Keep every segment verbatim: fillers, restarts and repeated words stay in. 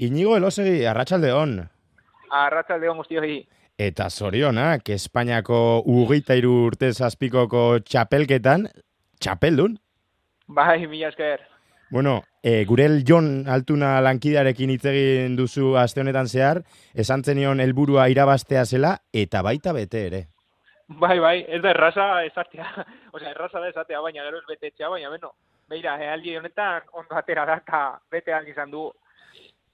Inigo Elosegi, arratsaldeon. Arratsaldeon guztioi. Eta zorionak, Espainiako hogeita hiru urte zazpikoko txapelketan, txapeldun? Bai, mila esker. Bueno, e, gurel Jon Altuna lankidearekin hitz egin duzu aste honetan zehar, esan zenion helburua irabaztea zela, eta baita bete ere. Bai, bai, ez da erraza esatea. Osea, erraza da esatea, baina gero ez betetzea, baina beno. Beira, ealdi honetan ondo atera da, eta bete aldi izan du.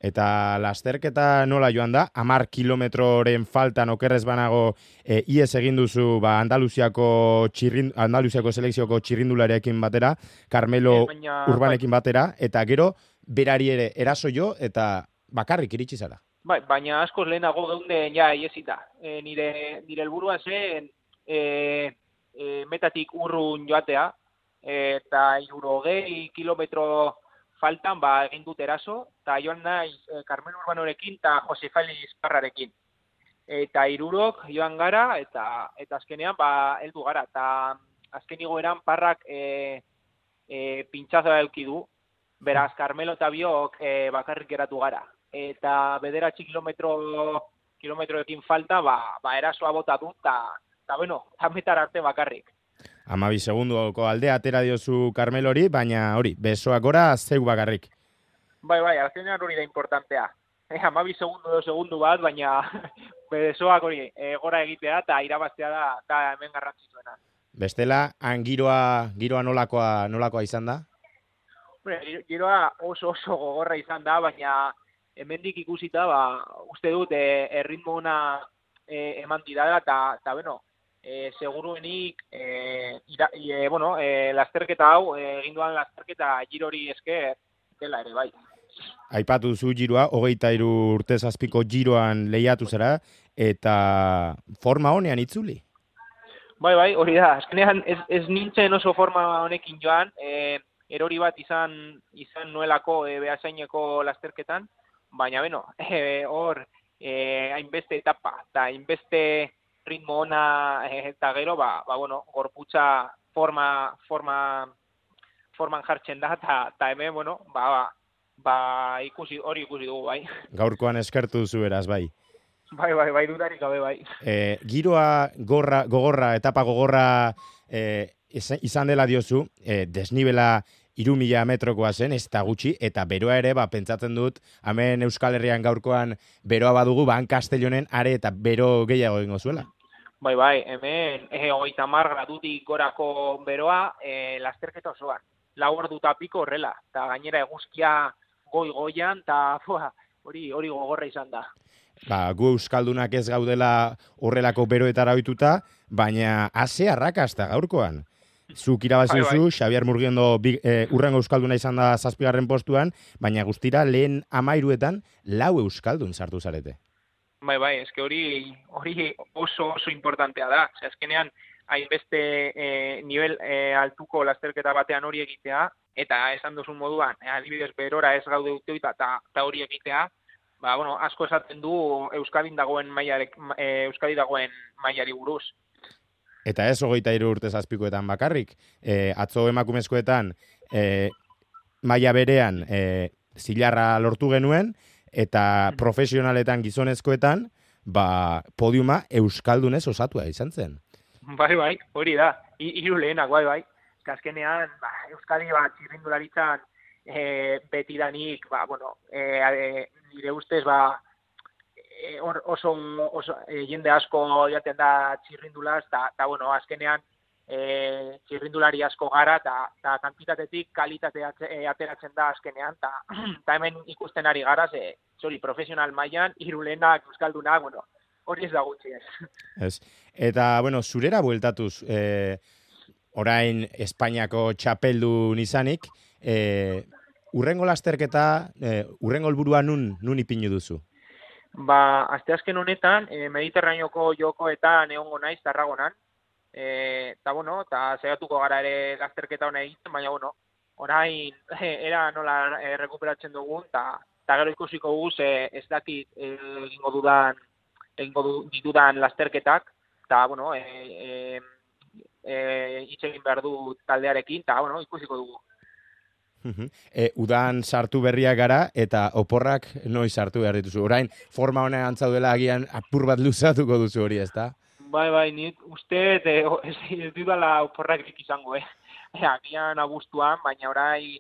Eta lasterketa nola joan da, hamar kilometroren faltan okerrez banago e, ies egin duzu ba, Andaluziako, txirrin, Andaluziako selekzioko txirrindularekin batera, Carmelo Eh, baina, Urbanekin batera, eta gero berari ere eraso jo, eta bakarrik iritsi zara. Bai, baina askoz lehenago geunde ja iesita. E, nire, nire helburua zen e, e, metatik urrun joatea, eta hirurogei kilometro faltan ba egin dut eraso, eta joan naiz e, Carmelo Urbanorekin eta Jose Felix Parrarekin. Eta hirurok joan gara, eta eta azkenean ba heldu gara, eta azken igoeran Parrak e, e, pintxazoa eduki du, beraz Carmelo eta biok e, bakarrik geratu gara. Eta bederatzi kilometro kilometroekin falta, ba, ba erasoa bota dut, eta, eta bueno, tametar arte bakarrik. Amabi segundoko aldea atera diozu Carmelori, baina hori, besoak gora zeu bakarrik. Bai, bai, azkenean hori da importantea. Eh, amabi segundu edo segundu bat, baina besoak hori e, gora egitea eta irabaztea da, da hemen garrantzitsuena. Bestela, han giroa, giroa nolakoa, nolakoa izan da? Bueno, giroa oso oso gogorra izan da, baina hemendik ikusita, ba, uste dut, e, erritmo ona e, eman didala, eta, eta bueno, e, seguruenik, e, ira, e, bueno, e, lasterketa hau, e, egin duan lasterketa girori esker, dela ere, bai. Aipatu zu giroa, hogeita hiru urte zazpiko giroan lehiatu zara, eta forma honean itzuli? Bai, bai, hori da, azkenean ez, ez nintzen oso forma honekin joan, e, erori bat izan izan nuelako e, behasaineko lasterketan, baina beno, hor e, hainbeste etapa, eta hainbeste ritmo ona e, eta gero, ba, ba bueno, gorputza forma, forma, forman jartzen da, eta hemen, bueno, ba, ba, ba ikusi, hori ikusi dugu, bai. Gaurkoan eskertu duzu beraz, bai. Bai, bai, bai, dudarik gabe, bai. E, giroa gorra, gogorra, etapa gogorra e, izan dela diozu, e, desnibela hiru mila metrokoa zen, ez da gutxi, eta beroa ere, ba, pentsatzen dut, hemen Euskal Herrian gaurkoan beroa badugu, ba, han Castellonen are eta bero gehiago egingo zuela. Bai, bai, hemen e, hogeita hamar gradutik gorako beroa e, lasterketa osoan. Lau ordu eta piko horrela, eta gainera eguzkia goi-goian, eta hori hori gogorra izan da. Ba, gu euskaldunak ez gaudela horrelako beroetara ohituta, baina ase arrakasta gaurkoan. Zuk irabazi duzu, bai, bai. Xabier Murgiondo e, urrengo euskalduna izan da zazpigarren postuan, baina guztira lehen amairuetan lau euskaldun sartu zarete. Bai, bai, eske hori hori oso oso importantea da. Osea, azkenean hainbeste e, nivel e, altuko lasterketa batean hori egitea, eta esan duzun moduan, e, adibidez berora ez gaude uteuta eta hori egitea, ba, bueno, asko esaten du Euskadin dagoen mailari, e, Euskadi dagoen mailari buruz. Eta ez hogeita hiru urte zazpikoetan bakarrik, e, atzo emakumezkoetan e, maila berean e, zilarra lortu genuen, eta profesionaletan gizonezkoetan, ba, podiuma euskaldunez osatua izan zen. Bai, bai, hori da, hiru lehenak, bai, bai. Azkenean, ba, Euskadi bat txirrindularitzan e, betidanik, ba, bueno, e, e, nire ustez, ba, e, or, oso, oso e, jende asko jaten da txirrindulaz, eta, bueno, azkenean e, txirrindulari asko gara, eta kantitatetik kalitatea e, ateratzen da azkenean, eta hemen ikusten ari gara, ze, zori, profesional mailan, hiru lehenak, euskaldunak, bueno, hori ez da gutxi ez. Ez. Eta, bueno, zurera bueltatuz, e, orain Espainiako txapeldun izanik, e, urrengo lasterketa, e, urrengo helburua nun, nun ipinu duzu? Ba, asteazken honetan, e, Mediterraneoko jokoetan egongo naiz Tarragonan, eta, e, bueno, eta saiatuko gara ere lasterketa hona egiten, baina, bueno, orain e, era nola e, rekuperatzen dugun, eta gero ikusiko dugu, ez dakit egingo dudan, egingo ditudan lasterketak, eta, bueno, e, e, e, hitz egin behar du taldearekin, eta, bueno, ikusiko dugu. E, udan sartu berriak gara eta oporrak noiz sartu behar dituzu. Orain, forma honean antzaudela agian apur bat luzatuko duzu hori, ezta? Bai, bai, nik uste e, ez, ez dudala oporrak izango, eh? Agian abuztuan, baina orain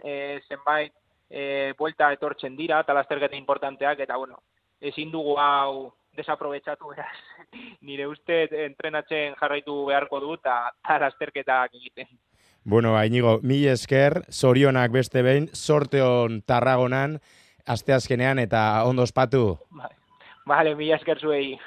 e, zenbait e, buelta etortzen dira, eta lasterketa importanteak, eta bueno, ezin dugu hau desaprobetxatu, beraz. Nire uste entrenatzen jarraitu beharko du, eta lasterketak egiten. Bueno, Iñigo, mil esker, zorionak beste behin, sorteon Tarragonan, asteazkenean eta ondo ospatu. Vale, vale, mil esker zuei.